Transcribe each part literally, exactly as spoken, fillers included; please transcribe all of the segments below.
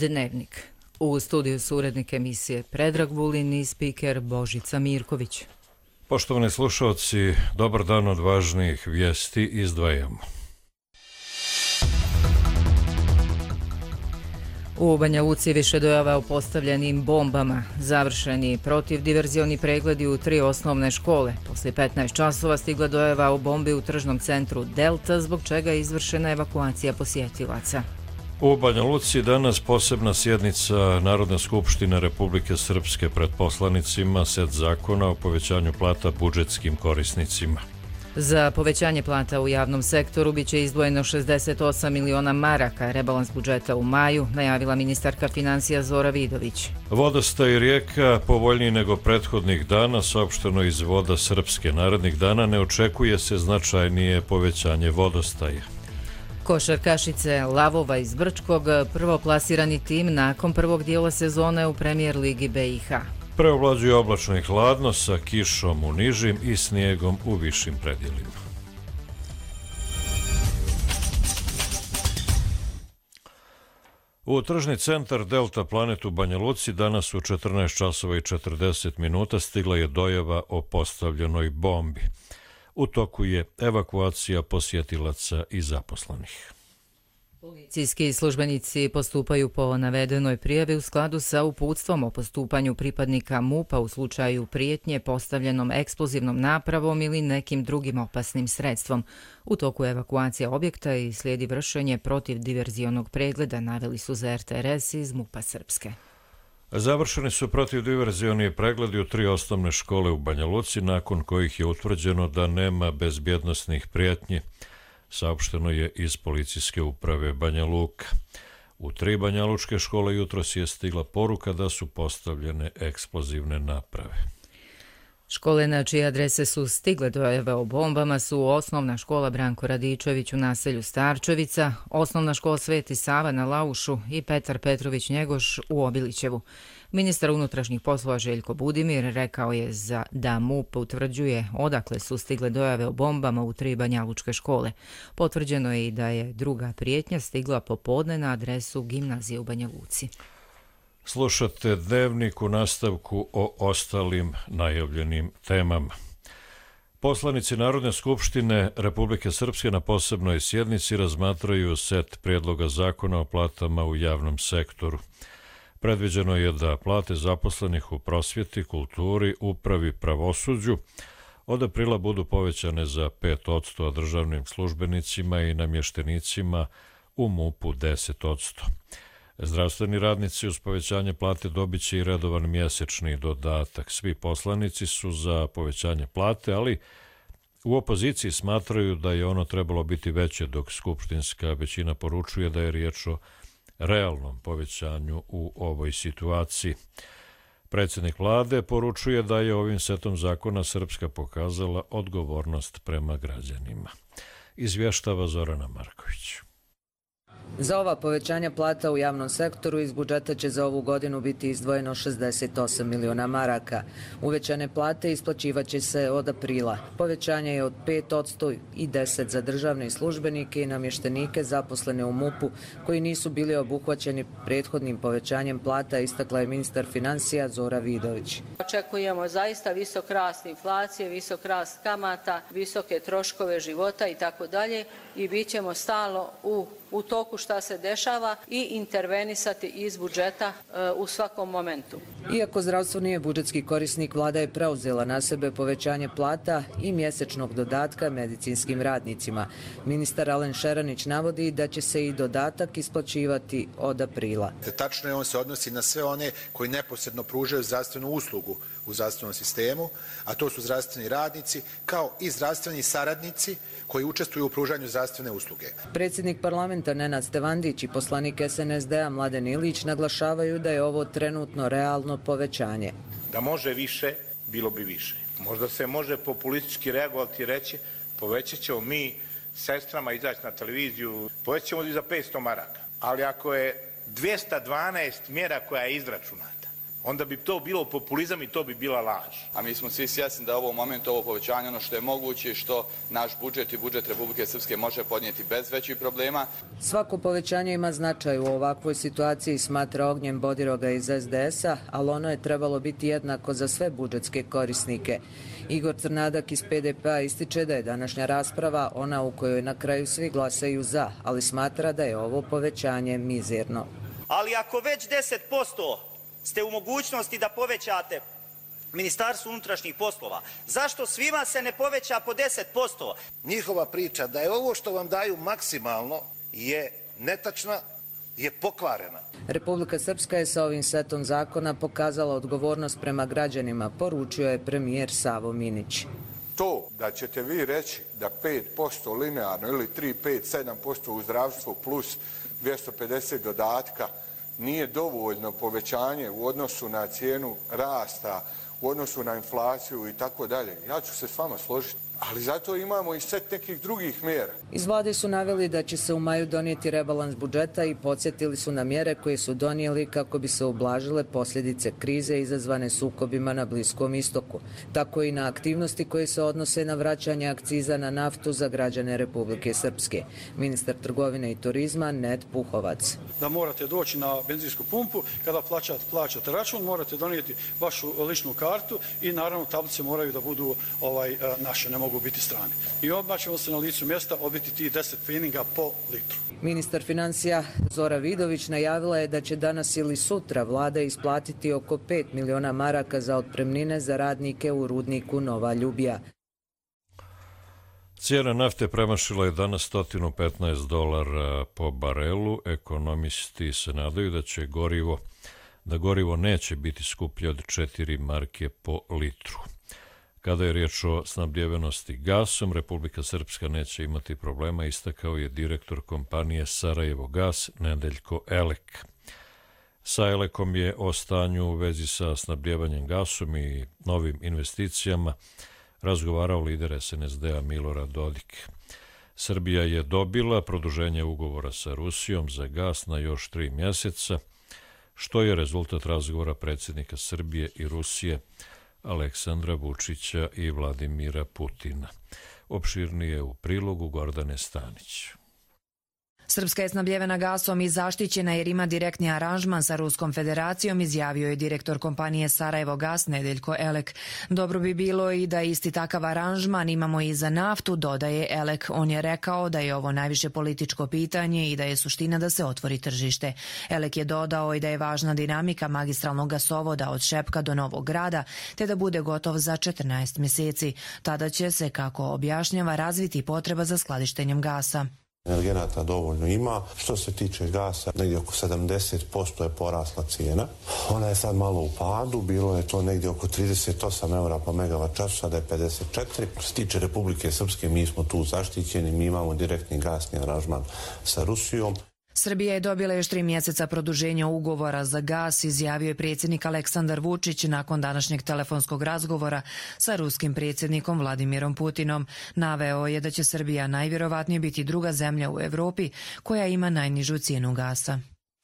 Dnevnik. U studiju su urednik emisije Predrag Vulin i spiker Božica Mirković. Poštovani slušalci, dobar dan, od važnijih vijesti izdvajamo. U Banja Luci više dojava o postavljenim bombama. Završeni protivdiverzioni pregledi u tri osnovne škole. Poslije petnaest časova stigla dojava o bombi u tržnom centru Delta, zbog čega je izvršena evakuacija posjetilaca. U Banja Luci danas posebna sjednica Narodne skupštine Republike Srpske pred poslanicima, set zakona o povećanju plata budžetskim korisnicima. Za povećanje plata u javnom sektoru biće izdvojeno šezdeset osam miliona maraka, rebalans budžeta u maju, najavila ministarka financija Zora Vidović. Vodostaj rijeka povoljniji nego prethodnih dana, saopšteno iz Voda Srpske. Narednih dana ne očekuje se značajnije povećanje vodostaja. Košarkašice Lavova iz Brčkog, prvoplasirani tim nakon prvog dijela sezone u Premijer ligi B i H. Preovlađuje oblačno i hladno sa kišom u nižim i snijegom u višim predjelima. U tržni centar Delta Planet u Banja Luci danas u četrnaest časova i četrdeset minuta stigla je dojava o postavljenoj bombi. U toku je evakuacija posjetilaca i zaposlenih. Policijski službenici postupaju po navedenoj prijavi u skladu sa uputstvom o postupanju pripadnika MUP-a u slučaju prijetnje postavljenom eksplozivnom napravom ili nekim drugim opasnim sredstvom. U toku evakuacija objekta i slijedi vršenje protivdiverzionog pregleda, naveli su za R T R S iz MUP-a Srpske. Završeni su protivdiverzioni pregledi u tri osnovne škole u Banja Luci, nakon kojih je utvrđeno da nema bezbjednosnih prijetnji, saopšteno je iz policijske uprave Banja Luka. U tri banjalučke škole jutros je stigla poruka da su postavljene eksplozivne naprave. Škole na čije adrese su stigle dojave o bombama su osnovna škola Branko Radičević u naselju Starčevica, osnovna škola Sveti Sava na Laušu i Petar Petrović Njegoš u Obilićevu. Ministar unutrašnjih poslova Željko Budimir rekao je za da MUP utvrđuje odakle su stigle dojave o bombama u tri banjalučke škole. Potvrđeno je i da je druga prijetnja stigla popodne na adresu gimnazije u Banja Luci. Slušate Dnevnik u nastavku o ostalim najavljenim temama. Poslanici Narodne skupštine Republike Srpske na posebnoj sjednici razmatraju set prijedloga zakona o platama u javnom sektoru. Predviđeno je da plate zaposlenih u prosvjeti, kulturi, upravi, pravosuđu od aprila budu povećane za pet posto, a državnim službenicima i namještenicima u MUP-u deset posto. Zdravstveni radnici uz povećanje plate dobit će i redovan mjesečni dodatak. Svi poslanici su za povećanje plate, ali u opoziciji smatraju da je ono trebalo biti veće, dok skupštinska većina poručuje da je riječ o realnom povećanju u ovoj situaciji. Predsjednik vlade poručuje da je ovim setom zakona Srpska pokazala odgovornost prema građanima. Izvještava Zorana Marković. Za ova povećanja plata u javnom sektoru iz budžeta će za ovu godinu biti izdvojeno šezdeset osam miliona maraka. Uvećane plate isplaćivaće se od aprila. Povećanje je od pet posto i deset za državne službenike i namještenike zaposlene u MUP-u koji nisu bili obuhvaćeni prethodnim povećanjem plata, istakla je ministar financija Zora Vidović. Očekujemo zaista visok rast inflacije, visok rast kamata, visoke troškove života i tako dalje i bit ćemo stalno u u toku šta se dešava i intervenisati iz budžeta e, u svakom momentu. Iako zdravstvo nije budžetski korisnik, vlada je preuzela na sebe povećanje plata i mjesečnog dodatka medicinskim radnicima. Ministar Alen Šeranić navodi da će se i dodatak isplaćivati od aprila. Tačno je, on se odnosi na sve one koji neposredno pružaju zdravstvenu uslugu u zdravstvenom sistemu, a to su zdravstveni radnici kao i zdravstveni saradnici koji učestvuju u pružanju zdravstvene usluge. Predsjednik parlamenta Nenad Stevandić i poslanik S N S D-a Mladen Ilić naglašavaju da je ovo trenutno realno povećanje. Da može više, bilo bi više. Možda se može populistički reagovati i reći povećat ćemo mi sestrama izaći na televiziju, povećat ćemo za petsto maraka. Ali ako je dvjesto dvanaest mjera koja je izračunata, onda bi to bilo populizam i to bi bila laž. A mi smo svi svjesni da u ovom momentu ovo povećanje ono što je moguće, što naš budžet i budžet Republike Srpske može podnijeti bez većih problema. Svako povećanje ima značaj u ovakvoj situaciji, smatra Ognjen Bodiroga iz es de es-a, ali ono je trebalo biti jednako za sve budžetske korisnike. Igor Crnadak iz pe de pe-a ističe da je današnja rasprava ona u kojoj na kraju svi glasaju za, ali smatra da je ovo povećanje mizerno. Ali ako već deset posto ste u mogućnosti da povećate Ministarstvu unutrašnjih poslova, zašto svima se ne poveća po deset posto? Njihova priča da je ovo što vam daju maksimalno je netačna, je pokvarena. Republika Srpska je sa ovim setom zakona pokazala odgovornost prema građanima, poručio je premijer Savo Minić. To da ćete vi reći da pet posto linearno ili tri, pet, sedam posto u zdravstvu plus dvjesto pedeset dodatka nije dovoljno povećanje u odnosu na cijenu rasta, u odnosu na inflaciju i tako dalje. Ja ću se s vama složiti. Ali zato imamo i set nekih drugih mjera. Iz vlade su naveli da će se u maju donijeti rebalans budžeta i podsjetili su na mjere koje su donijeli kako bi se ublažile posljedice krize izazvane sukobima na Bliskom istoku. Tako i na aktivnosti koje se odnose na vraćanje akciza na naftu za građane Republike Srpske. Ministar trgovine i turizma Ned Puhovac. Da morate doći na benzinsku pumpu, kada plaćate, plaćate račun, morate donijeti vašu ličnu kartu i naravno tablice moraju da budu ovaj, naše, ne mogu biti strane. I odmah ćemo se na licu mjesta obiti ti deset fininga po litru. Ministar financija Zora Vidović najavila je da će danas ili sutra vlada isplatiti oko pet miliona maraka za otpremnine za radnike u rudniku Nova Ljubija. Cijena nafte premašila je danas sto petnaest dolara po barelu. Ekonomisti se nadaju da će gorivo, da gorivo neće biti skuplje od četiri marke po litru. Kada je riječ o snabdjevenosti gasom, Republika Srpska neće imati problema, istakao je direktor kompanije Sarajevo gas Nedeljko Elek. Sa Elekom je o stanju u vezi sa snabdjevanjem gasom i novim investicijama razgovarao lider es en es de-a Milorad Dodik. Srbija je dobila produženje ugovora sa Rusijom za gas na još tri mjeseca, što je rezultat razgovora predsjednika Srbije i Rusije Aleksandra Vučića i Vladimira Putina. Opširnije u prilogu Gordane Stanić. Srpska je snabdjevena gasom i zaštićena jer ima direktni aranžman sa Ruskom federacijom, izjavio je direktor kompanije Sarajevo gas Nedeljko Elek. Dobro bi bilo i da isti takav aranžman imamo i za naftu, dodaje Elek. On je rekao da je ovo najviše političko pitanje i da je suština da se otvori tržište. Elek je dodao i da je važna dinamika magistralnog gasovoda od Šepka do Novog Grada, te da bude gotov za četrnaest mjeseci. Tada će se, kako objašnjava, razviti potreba za skladištenjem gasa. Energenata dovoljno ima. Što se tiče gasa, negdje oko sedamdeset posto je porasla cijena. Ona je sad malo u padu, bilo je to negdje oko trideset osam eura po megavat času, sada je pedeset četiri. Što se tiče Republike Srpske, mi smo tu zaštićeni, mi imamo direktni gasni aranžman sa Rusijom. Srbija je dobila još tri mjeseca produženja ugovora za gas, izjavio je predsjednik Aleksandar Vučić nakon današnjeg telefonskog razgovora sa ruskim predsjednikom Vladimirom Putinom. Naveo je da će Srbija najvjerovatnije biti druga zemlja u Evropi koja ima najnižu cijenu gasa.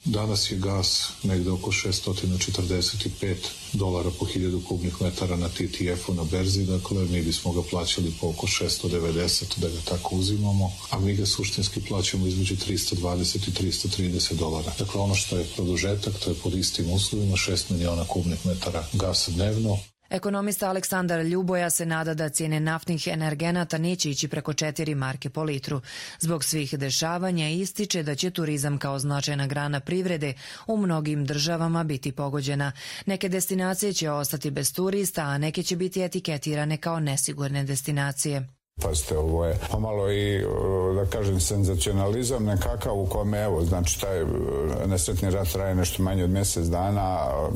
Danas je gas negde oko šesto četrdeset pet dolara po hiljadu kubnih metara na T T F-u na berzi, dakle mi bismo ga plaćali po oko šesto devedeset da ga tako uzimamo, a mi ga suštinski plaćamo između tristo dvadeset i tristo trideset dolara. Dakle ono što je produžetak, to je pod istim uslovima šest miliona kubnih metara gasa dnevno. Ekonomista Aleksandar Ljuboja se nada da cijene naftnih energenata neće ići preko četiri marke po litru. Zbog svih dešavanja ističe da će turizam kao značajna grana privrede u mnogim državama biti pogođena. Neke destinacije će ostati bez turista, a neke će biti etiketirane kao nesigurne destinacije. Pazite, ovo je pomalo i, da kažem, senzacionalizam nekakav u kome, evo, znači, taj nesretni rat traje nešto manje od mjesec dana,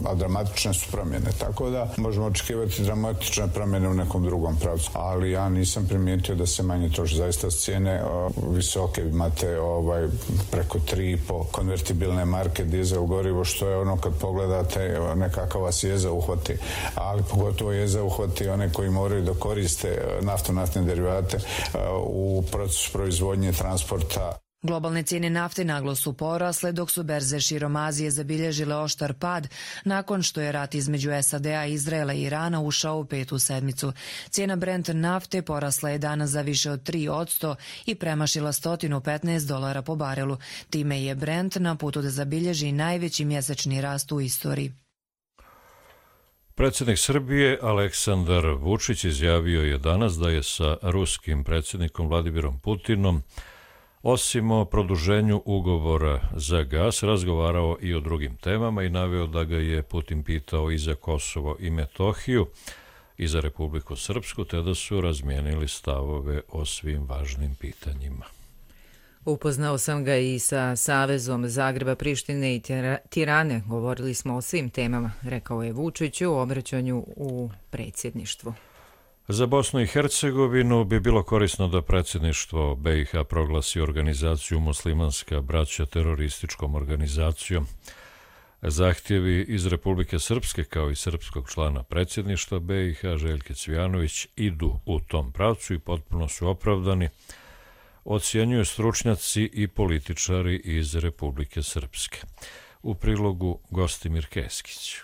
a dramatične su promjene, tako da možemo očekivati dramatične promjene u nekom drugom pravcu. Ali ja nisam primijetio da se manje troši, zaista cijene visoke, imate ovaj, preko tri i po konvertibilne marke dizel gorivo, što je ono kad pogledate nekakav vas jeza uhvati, ali pogotovo jeza uhvati one koji moraju da koriste nafto-naftne derivate u procesu proizvodnje transporta. Globalne cijene nafte naglo su porasle, dok su berze širom Azije zabilježile oštar pad nakon što je rat između S A D-a, Izraela i Irana ušao u petu sedmicu. Cijena Brent nafte porasla je danas za više od tri posto i premašila sto petnaest dolara po barelu. Time je Brent na putu da zabilježi najveći mjesečni rast u istoriji. Predsjednik Srbije Aleksandar Vučić izjavio je danas da je sa ruskim predsjednikom Vladimirom Putinom osim o produženju ugovora za gas razgovarao i o drugim temama i naveo da ga je Putin pitao i za Kosovo i Metohiju i za Republiku Srpsku, te da su razmijenili stavove o svim važnim pitanjima. Upoznao sam ga i sa Savezom Zagreba, Prištine i Tirane. Govorili smo o svim temama, rekao je Vučić u obraćanju u predsjedništvu. Za Bosnu i Hercegovinu bi bilo korisno da predsjedništvo B i H proglasi organizaciju Muslimanska braća terorističkom organizacijom. Zahtjevi iz Republike Srpske kao i srpskog člana predsjedništva B i H Željke Cvijanović idu u tom pravcu i potpuno su opravdani, ocjenjuju stručnjaci i političari iz Republike Srpske. U prilogu Gostimir Keskić.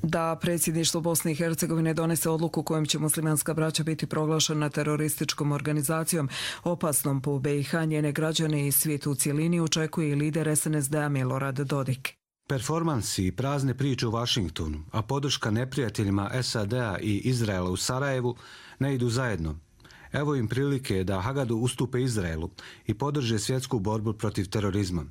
Da predsjedništvo Bosne i Hercegovine donese odluku kojom će muslimanska braća biti proglašena terorističkom organizacijom opasnom po B i H, njene građane i svijetu u cjelini, očekuje i lider S N S D-a Milorad Dodik. Performansi i prazne priče u Vašingtonu, a podrška neprijateljima S A D-a i Izraela u Sarajevu ne idu zajedno. Evo im prilike da Hagadu ustupe Izraelu i podrže svjetsku borbu protiv terorizma.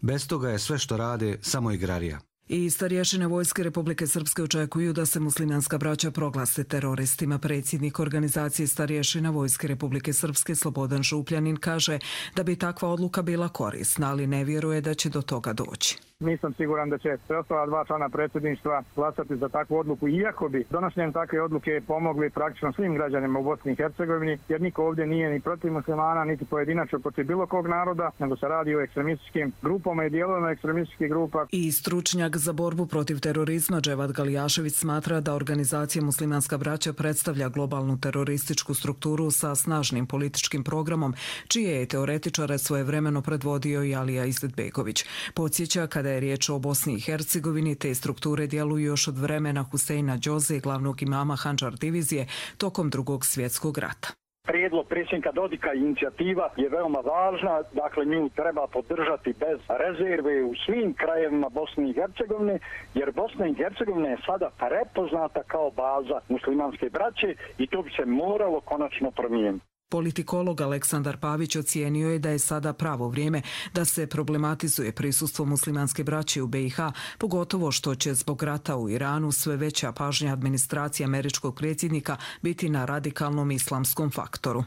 Bez toga je sve što rade samo igrarija. I starješine vojske Republike Srpske očekuju da se muslimanska braća proglase teroristima. Predsjednik organizacije starješina vojske Republike Srpske Slobodan Župljanin kaže da bi takva odluka bila korisna, ali ne vjeruje da će do toga doći. Nisam siguran da će preostala dva člana predsjedništva glasati za takvu odluku, iako bi donošenjem takve odluke pomogli praktično svim građanima u Bosni i Hercegovini, jer niko ovdje nije ni protiv muslimana, niti pojedinačno protiv bilo kog naroda, nego se radi o ekstremističkim grupama i dijelovima ekstremističkih grupa. I stručnjak za borbu protiv terorizma Dževad Galijašević smatra da organizacija Muslimanska braća predstavlja globalnu terorističku strukturu sa snažnim političkim programom, čije je teoretičare svojevremeno predvodio i Alija Izetbegović. Podsjeća, kada je riječ o Bosni i Hercegovini, te strukture djeluju još od vremena Huseina Đoze, glavnog imama Handžar divizije, tokom Drugog svjetskog rata. Prijedlog predsjednika Dodika i inicijativa je veoma važna, dakle nju treba podržati bez rezerve u svim krajevima Bosne i Hercegovine, jer Bosna i Hercegovina je sada prepoznata kao baza muslimanske braće i to bi se moralo konačno promijeniti. Politikolog Aleksandar Pavić ocijenio je da je sada pravo vrijeme da se problematizuje prisustvo muslimanske braće u B i H, pogotovo što će zbog rata u Iranu sve veća pažnja administracije američkog predsjednika biti na radikalnom islamskom faktoru.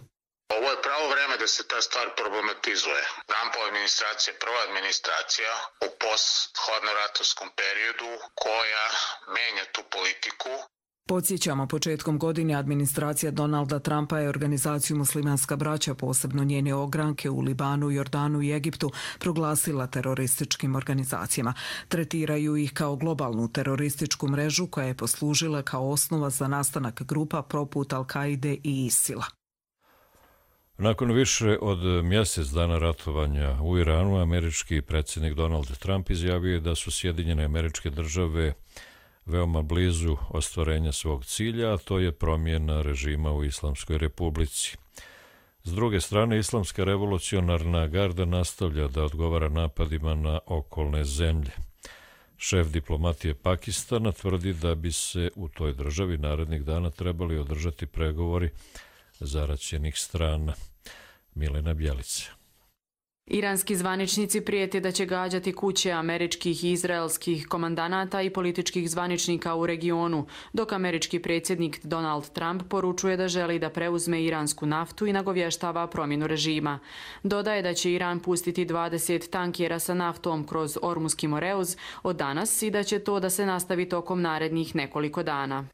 Ovo je pravo vrijeme da se ta stvar problematizuje. Trumpova administracija je prva administracija u post-hladnoratovskom periodu koja menja tu politiku. Podsjećamo, početkom godine administracija Donalda Trumpa je organizaciju Muslimanska braća, posebno njene ogranke u Libanu, Jordanu i Egiptu, proglasila terorističkim organizacijama. Tretiraju ih kao globalnu terorističku mrežu koja je poslužila kao osnova za nastanak grupa poput Al-Kaide i Isila. Nakon više od mjesec dana ratovanja u Iranu, američki predsjednik Donald Trump izjavio je da su Sjedinjene Američke Države veoma blizu ostvarenja svog cilja, a to je promjena režima u Islamskoj Republici. S druge strane, Islamska revolucionarna garda nastavlja da odgovara napadima na okolne zemlje. Šef diplomatije Pakistana tvrdi da bi se u toj državi narednih dana trebali održati pregovori zaraćenih strana. Milena Bjelica. Iranski zvaničnici prijete da će gađati kuće američkih i izraelskih komandanata i političkih zvaničnika u regionu, dok američki predsjednik Donald Trump poručuje da želi da preuzme iransku naftu i nagovještava promjenu režima. Dodaje da će Iran pustiti dvadeset tankera sa naftom kroz Ormuski moreuz od danas i da će to da se nastavi tokom narednih nekoliko dana.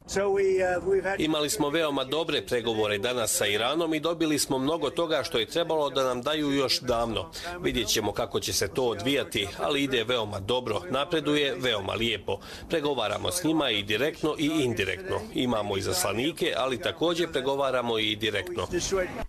Imali smo veoma dobre pregovore danas sa Iranom i dobili smo mnogo toga što je trebalo da nam daju još davno. Vidjet ćemo kako će se to odvijati, ali ide veoma dobro, napreduje veoma lijepo. Pregovaramo s njima i direktno i indirektno. Imamo izaslanike, ali također pregovaramo i direktno.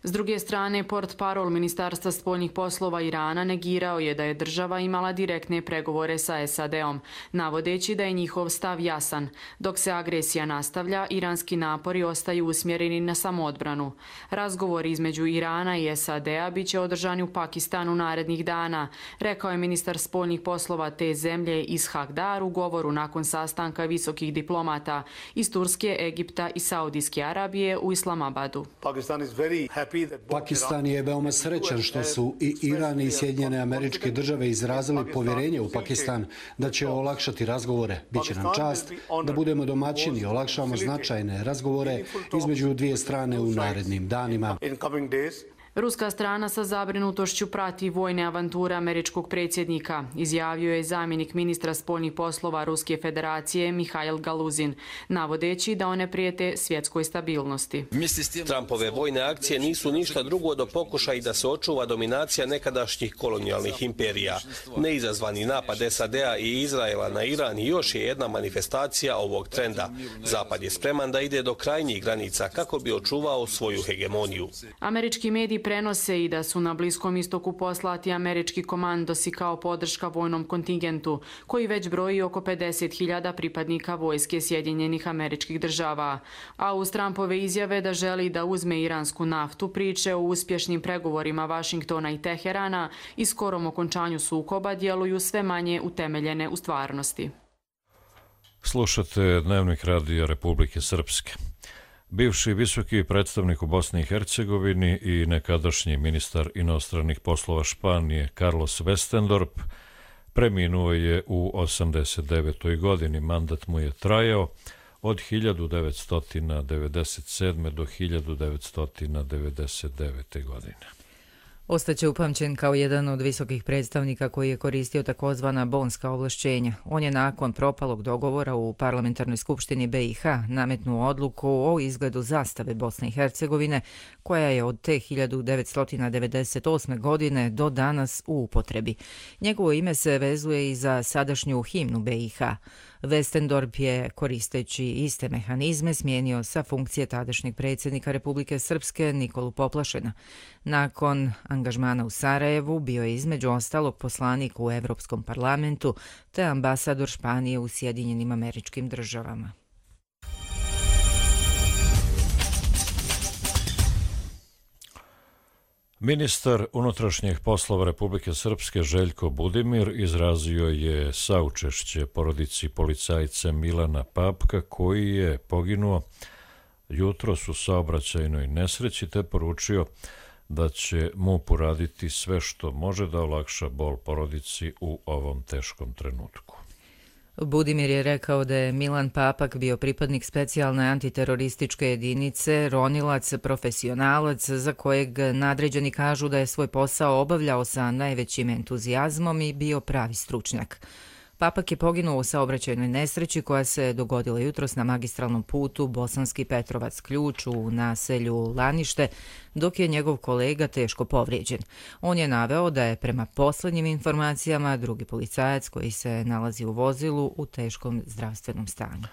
S druge strane, portparol Ministarstva spoljnih poslova Irana negirao je da je država imala direktne pregovore sa S A D-om, navodeći da je njihov stav jasan. Dok se agresija nastavlja, iranski napori ostaju usmjereni na samoodbranu. Razgovori između Irana i S A D-a bit će održani u Pakistanu narednih dana, rekao je ministar spoljnih poslova te zemlje Ishak Dar u govoru nakon sastanka visokih diplomata iz Turske, Egipta i Saudijske Arabije u Islamabadu. Pakistan je veoma srećan što su i Iran i Sjedinjene Američke Države izrazili povjerenje u Pakistan da će olakšati razgovore. Biće nam čast da budemo domaćini i olakšamo značajne razgovore između dvije strane u narednim danima. Ruska strana sa zabrinutošću prati vojne avanture američkog predsjednika, izjavio je zamjenik ministra spoljnih poslova Ruske federacije Mihail Galuzin, navodeći da one prijete svjetskoj stabilnosti. Trumpove vojne akcije nisu ništa drugo do pokušaj da se očuva dominacija nekadašnjih kolonijalnih imperija. Neizazvani napad S A D-a i Izraela na Iran još je jedna manifestacija ovog trenda. Zapad je spreman da ide do krajnjih granica kako bi očuvao svoju hegemoniju. Američki mediji prenose i da su na Bliskom istoku poslati američki komandosi kao podrška vojnom kontingentu, koji već broji oko pedeset hiljada pripadnika vojske Sjedinjenih Američkih Država. A uz Trumpove izjave da želi da uzme iransku naftu, priče o uspješnim pregovorima Vašingtona i Teherana i skorom okončanju sukoba djeluju sve manje utemeljene u stvarnosti. Slušate Dnevnik radija Republike Srpske. Bivši visoki predstavnik u Bosni i Hercegovini i nekadašnji ministar inostranih poslova Španije Carlos Westendorp preminuo je u osamdeset devetoj godini. Mandat mu je trajao od hiljadu devetsto devedeset sedme. do hiljadu devetsto devedeset devete. godine. Ostaće upamćen kao jedan od visokih predstavnika koji je koristio takozvana bonska ovlašćenja. On je nakon propalog dogovora u Parlamentarnoj skupštini B i H nametnuo odluku o izgledu zastave Bosne i Hercegovine, koja je od te hiljadu devetsto devedeset osme. godine do danas u upotrebi. Njegovo ime se vezuje i za sadašnju himnu B i H. Westendorp je, koristeći iste mehanizme, smijenio sa funkcije tadašnjeg predsjednika Republike Srpske Nikolu Poplašena. Nakon angažmana u Sarajevu bio je između ostalog poslanik u Evropskom parlamentu te ambasador Španije u Sjedinjenim Američkim Državama. Ministar unutrašnjih poslova Republike Srpske Željko Budimir izrazio je saučešće porodici policajca Milana Papka koji je poginuo jutros u saobraćajnoj nesreći te poručio da će M U P uraditi sve što može da olakša bol porodici u ovom teškom trenutku. Budimir je rekao da je Milan Papak bio pripadnik specijalne antiterorističke jedinice, ronilac, profesionalac za kojeg nadređeni kažu da je svoj posao obavljao sa najvećim entuzijazmom i bio pravi stručnjak. Papak je poginuo u saobraćajnoj nesreći koja se dogodila jutros na magistralnom putu Bosanski Petrovac Ključ u naselju Lanište, dok je njegov kolega teško povrijeđen. On je naveo da je prema posljednjim informacijama drugi policajac koji se nalazi u vozilu u teškom zdravstvenom stanju.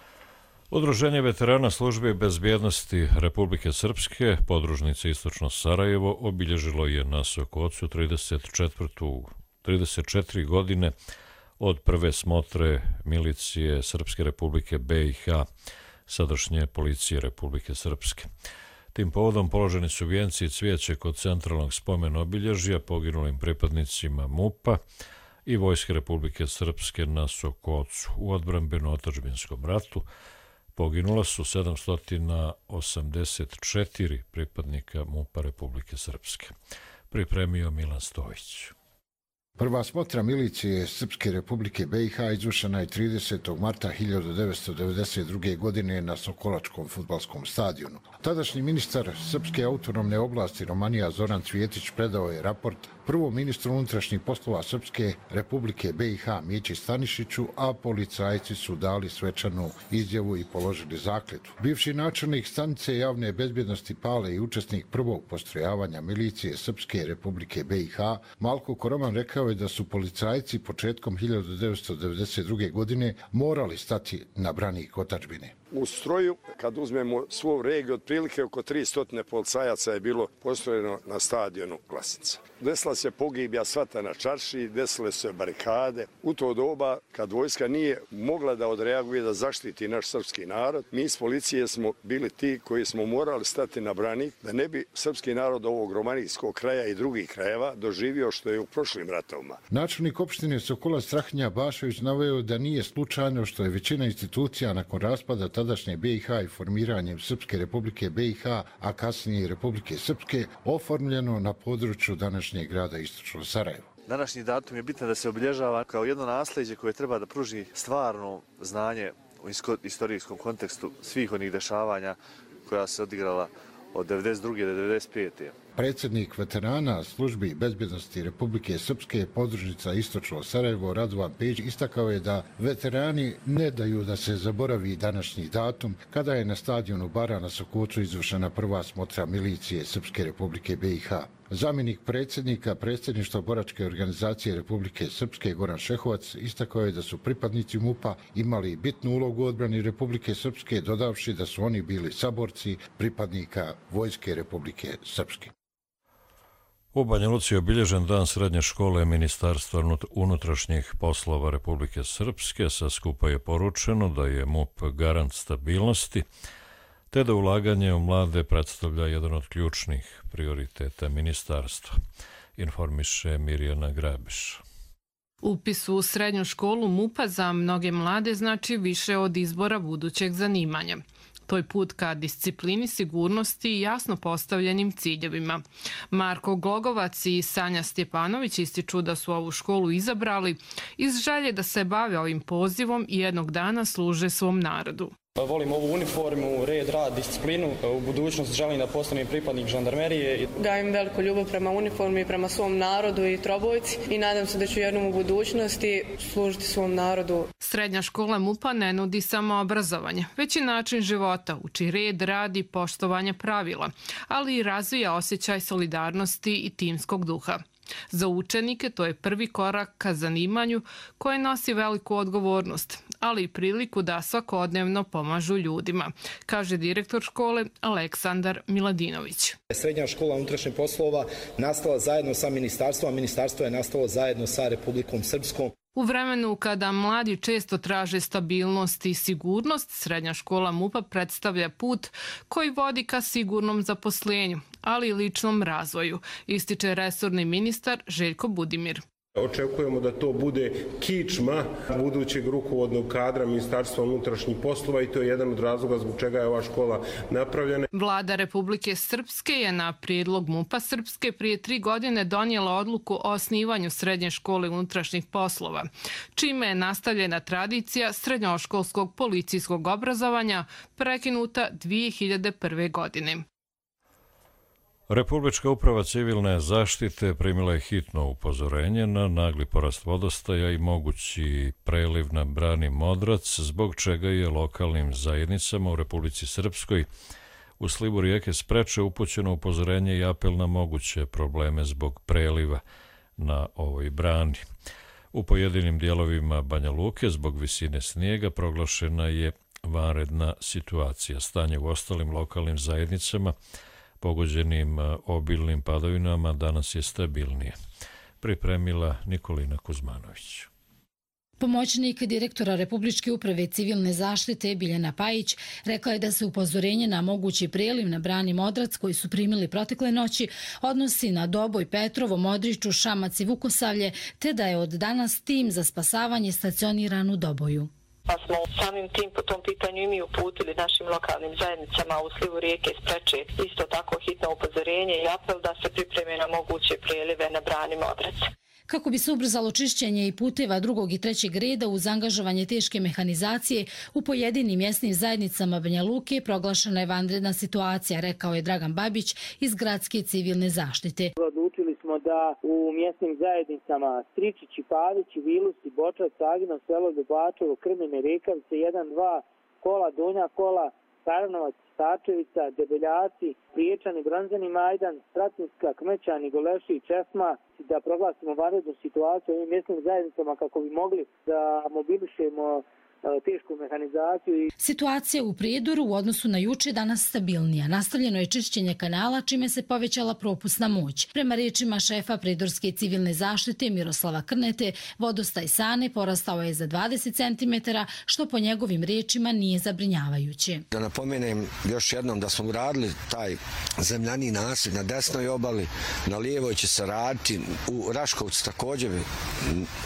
Udruženje veterana službe bezbjednosti Republike Srpske, podružnice Istočno Sarajevo, obilježilo je na Sokocu trideset četiri godine od prve smotre milicije Srpske Republike B i H, sadašnje policije Republike Srpske. Tim povodom položeni su vijenci i cvijeće kod centralnog spomen obilježja poginulim pripadnicima M U P-a i Vojske Republike Srpske na Sokocu. U odbrambeno-otadžbinskom ratu poginula su sedamsto osamdeset četiri pripadnika M U P-a Republike Srpske. Pripremio Milan Stojić. Prva smotra milicije Srpske Republike B i H izvršena je tridesetog marta hiljadu devetsto devedeset druge. godine na Sokolačkom fudbalskom stadionu. Tadašnji ministar Srpske autonomne oblasti Romanija Zoran Cvjetić predao je raport prvom ministru unutrašnjih poslova Srpske Republike B i H Mići Stanišiću, a policajci su dali svečanu izjavu i položili zakletvu. Bivši načelnik stanice javne bezbjednosti Pale i učesnik prvog postrojavanja milicije Srpske Republike B i H Malko Koroman rekao je da su policajci početkom hiljadu devetsto devedeset druge. godine morali stati na branik otadžbine. U stroju, kad uzmemo svu regiju, otprilike oko tristo policajaca je bilo postrojeno na stadionu Glasinca. Desila se pogibija svata na čarši, desile se barikade. U to doba, kad vojska nije mogla da odreaguje da zaštiti naš srpski narod, mi iz policije smo bili ti koji smo morali stati na branik da ne bi srpski narod ovog romanijskog kraja i drugih krajeva doživio što je u prošlim ratovima. Načelnik opštine Sokola Strahinja Bašević naveo da nije slučajno što je većina institucija nakon raspada tadašnje B i H i formiranjem Srpske Republike B i H, a kasnije Republike Srpske, oformljeno na području današnjeg grada Istočno Sarajevo. Današnji datum je bitno da se obilježava kao jedno nasljeđe koje treba da pruži stvarno znanje u istorijskom kontekstu svih onih dešavanja koja se odigrala od devedeset druge do devedeset pete. Predsjednik veterana službi bezbjednosti Republike Srpske podružnica Istočno Sarajevo Radovan Pejić istakao je da veterani ne daju da se zaboravi današnji datum kada je na stadionu Bara na Sokocu izvršena prva smotra milicije Srpske Republike B i H. Zamjenik predsjednika predsjedništva boračke organizacije Republike Srpske Goran Šehovac istakao je da su pripadnici MUP-a imali bitnu ulogu u odbrani Republike Srpske, dodavši da su oni bili saborci pripadnika Vojske Republike Srpske. U Banja Luci je obilježen dan srednje škole Ministarstva unutrašnjih poslova Republike Srpske. Sa skupa je poručeno da je MUP garant stabilnosti, te da ulaganje u mlade predstavlja jedan od ključnih prioriteta ministarstva, informiše Mirjana Grabiš. Upis u srednju školu MUP-a za mnoge mlade znači više od izbora budućeg zanimanja. To je put ka disciplini, sigurnosti i jasno postavljenim ciljevima. Marko Glogovac i Sanja Stjepanović ističu da su ovu školu izabrali iz želje da se bave ovim pozivom i jednog dana služe svom narodu. Volim ovu uniformu, red, rad, disciplinu. U budućnosti želim da postanem pripadnik žandarmerije. Gajim veliku ljubav prema uniformi, prema svom narodu i trobojci i nadam se da ću jednom u budućnosti služiti svom narodu. Srednja škola MUP-a ne nudi samo obrazovanje, već i način života, uči red, rad i poštovanje pravila, ali i razvija osjećaj solidarnosti i timskog duha. Za učenike to je prvi korak ka zanimanju koje nosi veliku odgovornost, ali i priliku da svakodnevno pomažu ljudima, kaže direktor škole Aleksandar Miladinović. Srednja škola unutrašnjih poslova nastala zajedno sa ministarstvom, a ministarstvo je nastalo zajedno sa Republikom Srpskom. U vremenu kada mladi često traže stabilnost i sigurnost, srednja škola MUP-a predstavlja put koji vodi ka sigurnom zaposlenju, ali i ličnom razvoju, ističe resorni ministar Željko Budimir. Očekujemo da to bude kičma budućeg rukovodnog kadra Ministarstva unutrašnjih poslova i to je jedan od razloga zbog čega je ova škola napravljena. Vlada Republike Srpske je na prijedlog MUP-a Srpske prije tri godine donijela odluku o osnivanju srednje škole unutrašnjih poslova, čime je nastavljena tradicija srednjoškolskog policijskog obrazovanja prekinuta dvije hiljade prve. godine. Republička uprava civilne zaštite primila je hitno upozorenje na nagli porast vodostaja i mogući preliv na brani Modrac, zbog čega je lokalnim zajednicama u Republici Srpskoj u slivu rijeke Spreče upućeno upozorenje i apel na moguće probleme zbog preliva na ovoj brani. U pojedinim dijelovima Banja Luke zbog visine snijega proglašena je vanredna situacija. Stanje u ostalim lokalnim zajednicama pogođenim obilnim padavinama danas je stabilnije. Pripremila Nikolina Kuzmanović. Pomoćnik direktora Republičke uprave civilne zaštite Biljana Pajić rekla je da se upozorenje na mogući preliv na brani Modrac koji su primili protekle noći odnosi na Doboj, Petrovo, Modriču, Šamac i Vukosavlje, te da je od danas tim za spasavanje stacioniran u Doboju. Pa smo samim tim po tom pitanju i mi uputili našim lokalnim zajednicama u slivu rijeke Spreče isto tako hitno upozorenje i apel da se pripreme na moguće prelive na brani Modrac. Kako bi se ubrzalo čišćenje i puteva drugog i trećeg reda uz angažovanje teške mehanizacije, u pojedinim mjesnim zajednicama Banja Luke proglašena je vanredna situacija, rekao je Dragan Babić iz Gradske civilne zaštite. Odlučili smo da u mjesnim zajednicama Stričići, Pavići, Vilusi, Bočac, Agino, Selo Ljubačevo, Krmine, Rekavice, jedan, dva, Kola, Donja Kola, Karanovac, Stačevica, Debeljaci, Priječani, Bronzani, Majdan, Stratinska, Kmećani, Goleši i Česma, da proglasimo vanrednu situaciju u ovim mjesnim zajednicama kako bi mogli da mobilišemo tešku mehanizaciju. Situacija u Prijedoru u odnosu na juče danas stabilnija. Nastavljeno je čišćenje kanala, čime se povećala propusna moć. Prema riječima šefa Prijedorske civilne zaštite Miroslava Krnete, vodostaj Sane porastao je za dvadeset centimetara, što po njegovim riječima nije zabrinjavajuće. Da napomenem još jednom da smo uradili taj zemljani nasip na desnoj obali, na lijevoj će se raditi, u Raškovcu također,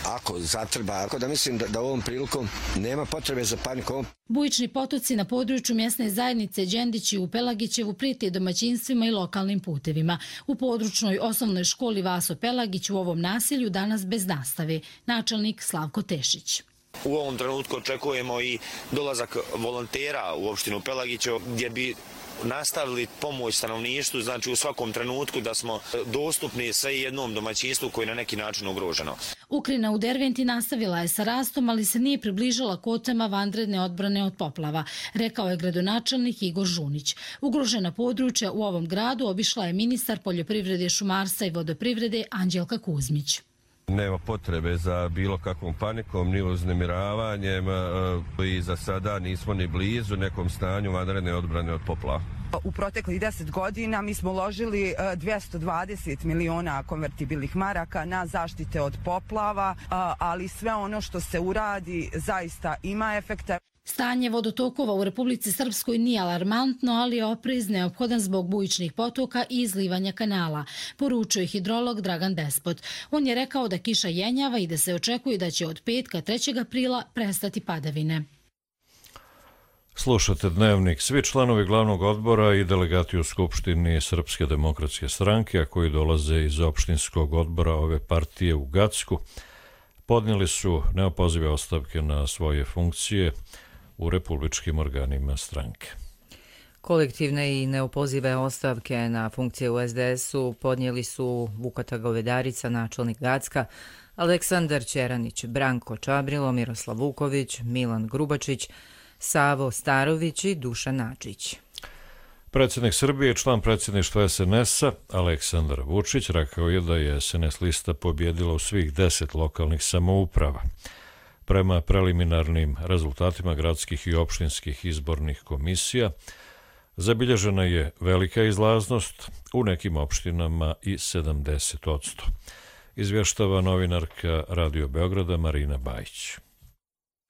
ako zatreba. Tako da mislim da, da ovom prilikom nema potrebe za panikom. Bujični potoci na području mjesne zajednice Đendići u Pelagićevu prijete domaćinstvima i lokalnim putevima. U područnoj osnovnoj školi Vaso Pelagić u ovom naselju danas bez nastave. Načelnik Slavko Tešić. U ovom trenutku očekujemo i dolazak volontera u opštinu Pelagićevo gdje bi nastavili pomoć stanovništvu, znači u svakom trenutku da smo dostupni sve jednom domaćinstvu koji je na neki način ugroženo. Ukrina u Derventi nastavila je sa rastom, ali se nije približila kvotama vanredne odbrane od poplava, rekao je gradonačelnik Igor Žunić. Ugrožena područja u ovom gradu obišla je ministar poljoprivrede, šumarstva i vodoprivrede Anđelka Kuzmić. Nema potrebe za bilo kakvom panikom, ni uznemiravanjem i za sada nismo ni blizu nekom stanju vanredne odbrane od poplava. U proteklih deset godina mi smo uložili dvjesto dvadeset miliona konvertibilnih maraka na zaštite od poplava, ali sve ono što se uradi zaista ima efekta. Stanje vodotokova u Republici Srpskoj nije alarmantno, ali je oprez neophodan zbog bujičnih potoka i izlivanja kanala, poručuje hidrolog Dragan Despot. On je rekao da kiša jenjava i da se očekuje da će od petka trećeg aprila prestati padavine. Slušate Dnevnik. Svi članovi glavnog odbora i delegati u Skupštini Srpske demokratske stranke, a koji dolaze iz opštinskog odbora ove partije u Gacku, podnijeli su neopozive ostavke na svoje funkcije u republičkim organima stranke. Kolektivne i neopozive ostavke na funkcije u es de esu podnijeli su Vukata Govedarica, načelnik Gacka, Aleksandar Ćeranić, Branko Čabrilo, Miroslav Vuković, Milan Grubačić, Savo Starović i Dušan Načić. Predsjednik Srbije i član predsjedništva es en esa Aleksandar Vučić rekao je da je es en es lista pobjedila u svih deset lokalnih samouprava. Prema preliminarnim rezultatima gradskih i opštinskih izbornih komisija zabilježena je velika izlaznost, u nekim opštinama i sedamdeset posto. Izvještava novinarka Radio Beograda Marina Bajić.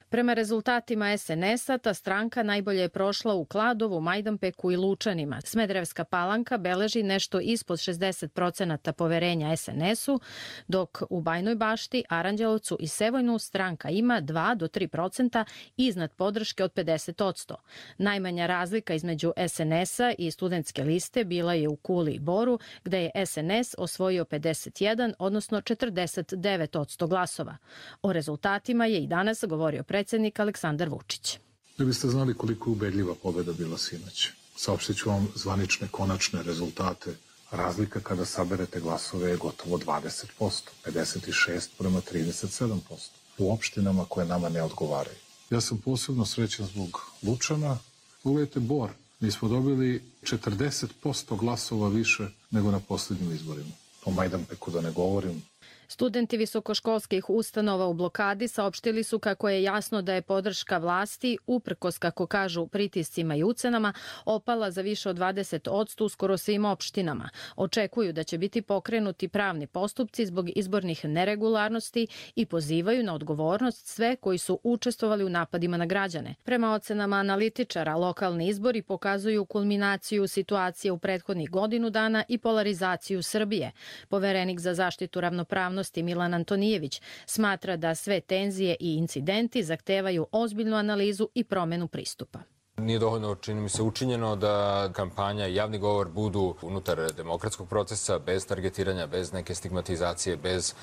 Prema rezultatima es en esa, ta stranka najbolje je prošla u Kladovu, Majdanpeku i Lučanima. Smederevska Palanka beleži nešto ispod šezdeset procenata poverenja es en esu, dok u Bajnoj Bašti, Aranđelovcu i Sevojnu stranka ima dva do tri procenta iznad podrške od pedeset posto. Najmanja razlika između es en esa i studentske liste bila je u Kuli i Boru, gde je es en es osvojio pedeset jedan, odnosno četrdeset devet posto glasova. O rezultatima je i danas govorio predsjednik Aleksandar Vučić. Da biste znali koliko je ubedljiva pobjeda bila sinoć. Saopštit ću vam zvanične, konačne rezultate. Razlika kada saberete glasove je gotovo dvadeset posto, pedeset šest prema trideset sedam posto. U opštinama koje nama ne odgovaraju. Ja sam posebno srećan zbog Lučana. Uvijete Bor. Mi smo dobili četrdeset posto glasova više nego na posljednjim izborima. O Majdanpeku da ne govorim. Studenti visokoškolskih ustanova u blokadi saopštili su kako je jasno da je podrška vlasti, uprkos, kako kažu, pritiscima i ucenama, opala za više od dvadeset posto u skoro svim opštinama. Očekuju da će biti pokrenuti pravni postupci zbog izbornih neregularnosti i pozivaju na odgovornost sve koji su učestvovali u napadima na građane. Prema ocenama analitičara, lokalni izbori pokazuju kulminaciju situacije u prethodnih godinu dana i polarizaciju Srbije. Poverenik za zaštitu ravnopravnosti Milan Antonijević smatra da sve tenzije i incidenti zahtevaju ozbiljnu analizu i promjenu pristupa. Nije dovoljno, čini mi se, učinjeno da kampanja i javni govor budu unutar demokratskog procesa, bez targetiranja, bez neke stigmatizacije, bez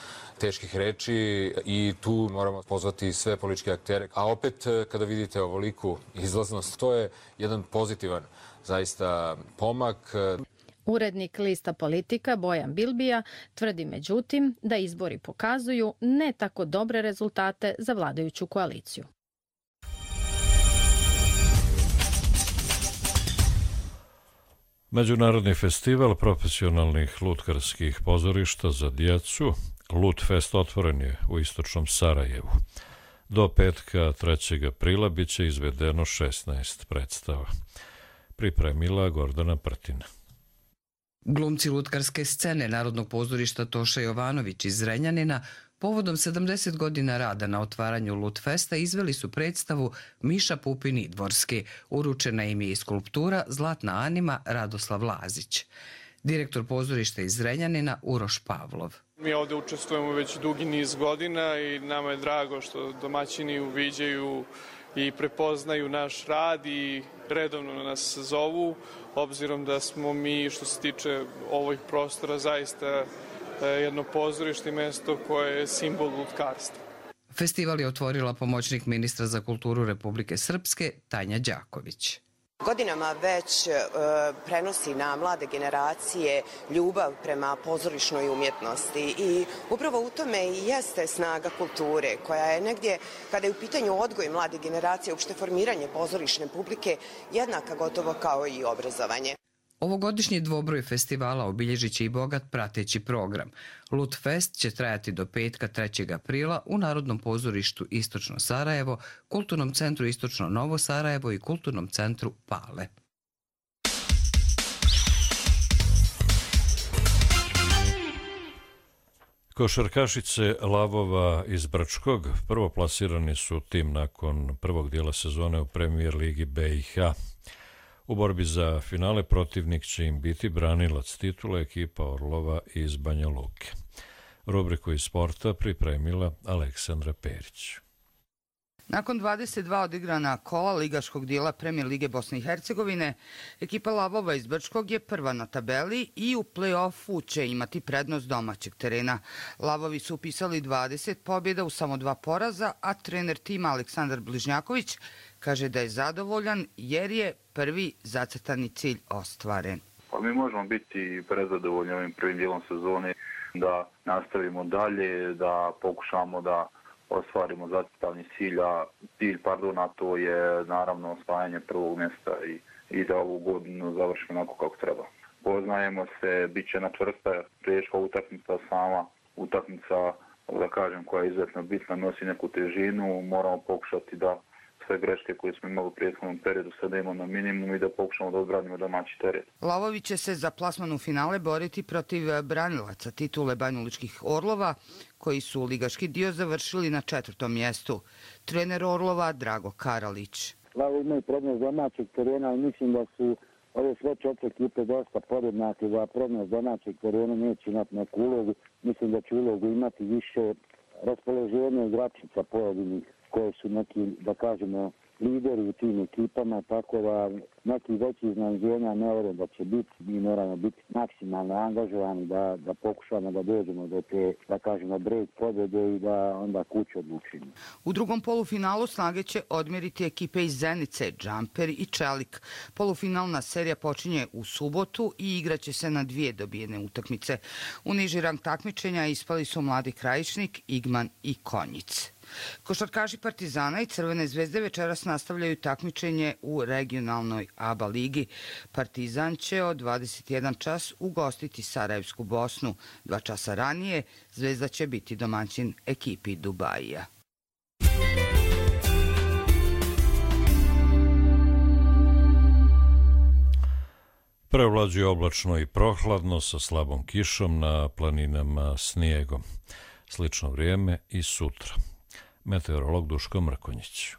teških reči i tu moramo pozvati sve političke aktere. A opet, kada vidite ovoliku izlaznost, to je jedan pozitivan zaista pomak. Urednik lista Politika Bojan Bilbija tvrdi međutim da izbori pokazuju ne tako dobre rezultate za vladajuću koaliciju. Međunarodni festival profesionalnih lutkarskih pozorišta za djecu Lutfest otvoren je u istočnom Sarajevu. Do petka trećeg aprila bit će izvedeno šesnaest predstava. Pripremila Gordana Prtina. Glumci lutkarske scene Narodnog pozorišta Toša Jovanović iz Zrenjanina povodom sedamdeset godina rada na otvaranju Lutfesta izveli su predstavu Miša Pupin i Dvorski. Uručena im je i skulptura Zlatna anima Radoslav Lazić. Direktor pozorišta iz Zrenjanina Uroš Pavlov. Mi ovdje učestvujemo već dugi niz godina i nama je drago što domaćini uviđaju i prepoznaju naš rad i redovno nas zovu, obzirom da smo mi, što se tiče ovih prostora, zaista jedno pozorište i mesto koje je simbol lutkarstva. Festival je otvorila pomoćnik ministra za kulturu Republike Srpske Tanja Đaković. Godinama već e, prenosi na mlade generacije ljubav prema pozorišnoj umjetnosti i upravo u tome i jeste snaga kulture koja je negdje, kada je u pitanju odgoj mlade generacije, uopšte formiranje pozorišne publike, jednaka gotovo kao i obrazovanje. Ovogodišnji dvobroj festivala obilježit će i bogat prateći program. Lutfest će trajati do petka trećeg aprila u Narodnom pozorištu Istočno Sarajevo, Kulturnom centru Istočno Novo Sarajevo i Kulturnom centru Pale. Košarkašice Lavova iz Brčkog prvoplasirani su tim nakon prvog dijela sezone u Premijer ligi B i H. U borbi za finale protivnik će im biti branilac titule ekipa Orlova iz Banja Luke. Rubriku iz sporta pripremila Aleksandra Perić. Nakon dvadeset dva odigrana kola ligaškog dijela Premijer lige Bosne i Hercegovine, ekipa Lavova iz Brčkog je prva na tabeli i u play-offu će imati prednost domaćeg terena. Lavovi su upisali dvadeset pobjeda u samo dva poraza, a trener tima Aleksandar Bližnjaković kaže da je zadovoljan jer je prvi zacrtani cilj ostvaren. Pa mi možemo biti prezadovoljni ovim prvim dijelom sezone, da nastavimo dalje, da pokušamo da ostvarimo zacrtani cilj, a cilj, pardon, a to je naravno osvajanje prvog mjesta i, i da ovu godinu završimo onako kako treba. Poznajemo se, bit će na čvrsta, teška utakmica, sama utakmica, da kažem, koja je izuzetno bitna, nosi neku težinu, moramo pokušati da sve greške koje smo imali u prethodnom periodu sada imamo na minimum i da pokušamo da odbranimo domaći teren. Lavovi će se za plasman u finale boriti protiv branilaca titule banjalučkih Orlova, koji su ligaški dio završili na četvrtom mjestu. Trener Orlova Drago Karalić. Lavovi imaju prednost domaćeg terena i mislim da su ove sve četiri ekipe dosta podjednake, da prednost domaćeg terena neće imati neku ulogu. Mislim da će ulogu imati više raspoloženja igračica pojedinih koje su neki, da kažemo, lideri u tim ekipama, tako da neki veći iznenađenja ne vjerujem da će biti. Mi moramo biti maksimalno angažovani da, da pokušamo da dođemo do te, da kažemo, break pobjede i da onda kuću odlučimo. U drugom polufinalu snage će odmjeriti ekipe iz Zenice, Džamper i Čelik. Polufinalna serija počinje u subotu i igraće se na dvije dobijene utakmice. U niži rang takmičenja ispali su Mladi Krajišnik, Igman i Konjic. Košarkaši Partizana i Crvene zvezde večeras nastavljaju takmičenje u regionalnoj A B A ligi. Partizan će od dvadeset jedan čas ugostiti Sarajevsku Bosnu. Dva časa ranije Zvezda će biti domaćin ekipi Dubajija. Prevlađuje oblačno i prohladno sa slabom kišom, na planinama snijegom. Slično vrijeme i sutra. Meteorolog Duško Mrkonjić.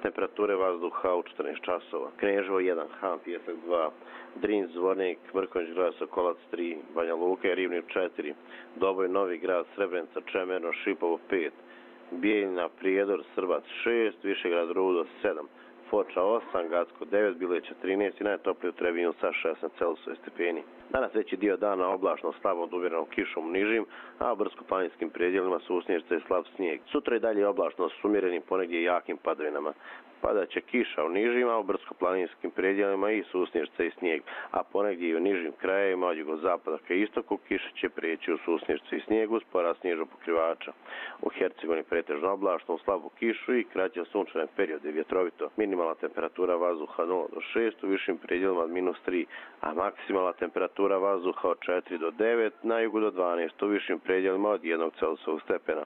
Temperature vazduha u četrnaest časova. Kneževo jedan, Han, Pijesak dva, Drin, Zvornik, Mrkonjić, Grad, Sokolac tri, Banja Luka i Rivnik četiri, Doboj, Novi Grad, Srebrenica, Čemerno, Šipovo pet, Bijeljina, Prijedor, Srbac šest, Višegrad, Rudo sedam, Foča osam, Gacko devet, Bileća trinaest i najtoplije u Trebinju sa šesnaest Celzijusovih stepeni. Danas veći dio dana oblačno slabo od umjerenom kišom u nižim, a u brdsko-planinskim predjelima su usnježice i slab snijeg. Sutra i dalje oblačno s umjerenim ponegdje jakim padavinama. Padaće kiša u nižima, u brdsko-planinskim predjelima i susnježice i snijeg, a ponegdje i u nižim krajevima od jugozapada ka istoku kiša će prijeći u susnježice i snijegu s porast snježnog pokrivača. U Hercegovini pretežno oblačno u slabu kišu i kraće sunčane periode vjetrovito. Minimalna temperatura vazduha nula do šest, u višim predjelima od minus tri, a maksimalna temperatura vazduha od četiri do devet, na jugu do dvanaest, u višim predjelima od jednog Celzijusovog stepena.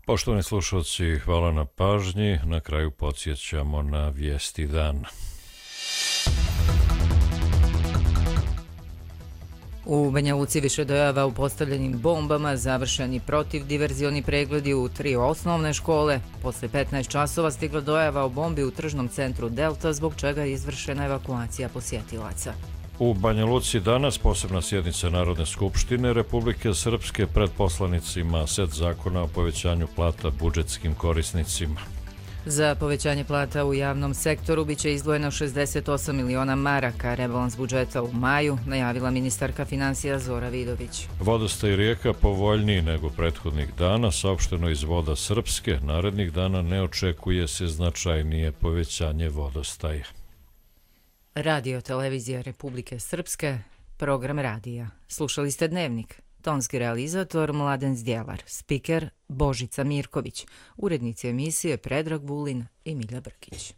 Poštovani slušalci, hvala na pažnji. Na kraju podsjećamo na vijesti dana. U Banja Luci više dojava u postavljenim bombama, završeni protivdiverzioni pregledi u tri osnovne škole. Posle petnaest časova stigla dojava o bombi u tržnom centru Delta, zbog čega je izvršena evakuacija posjetilaca. U Banja Luci danas posebna sjednica Narodne skupštine Republike Srpske pred poslanicima set zakona o povećanju plata budžetskim korisnicima. Za povećanje plata u javnom sektoru biće izdvojeno šezdeset osam miliona maraka. Rebalans budžeta u maju najavila ministarka financija Zora Vidović. Vodostaj rijeka povoljniji nego prethodnih dana, saopšteno iz Voda Srpske. Narednih dana ne očekuje se značajnije povećanje vodostaja. Radio Televizija Republike Srpske, program radija. Slušali ste Dnevnik. Tonski realizator Mladen Zdjelar, spiker Božica Mirković, urednici emisije Predrag Vulin i Milja Brkić.